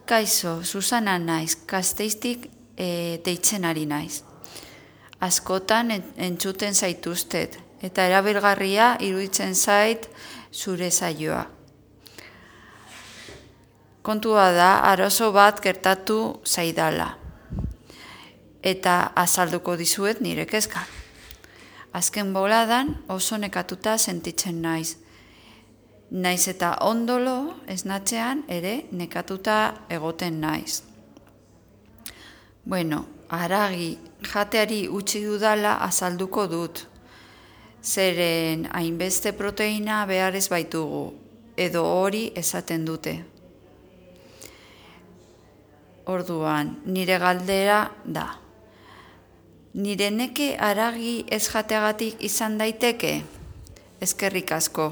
Kaixo, Susana naiz, Gasteiztik deitzen ari naiz. Askotan entzuten zaituztet, eta erabilgarria iruditzen zait zure saioa. Kontua da, arazo bat gertatu zaidala, eta azalduko dizuet nire kezka. Azken boladan oso nekatuta sentitzen naiz. Naiz eta ondolo esnatzean ere nekatuta egoten naiz. Bueno, haragi jateari utzi dudala azalduko dut. Zeren hainbeste proteina behar ez baitugu, edo hori esaten dute. Orduan, nire galdera da. Nire neke haragi ez jateagatik izan daiteke? Eskerrik asko.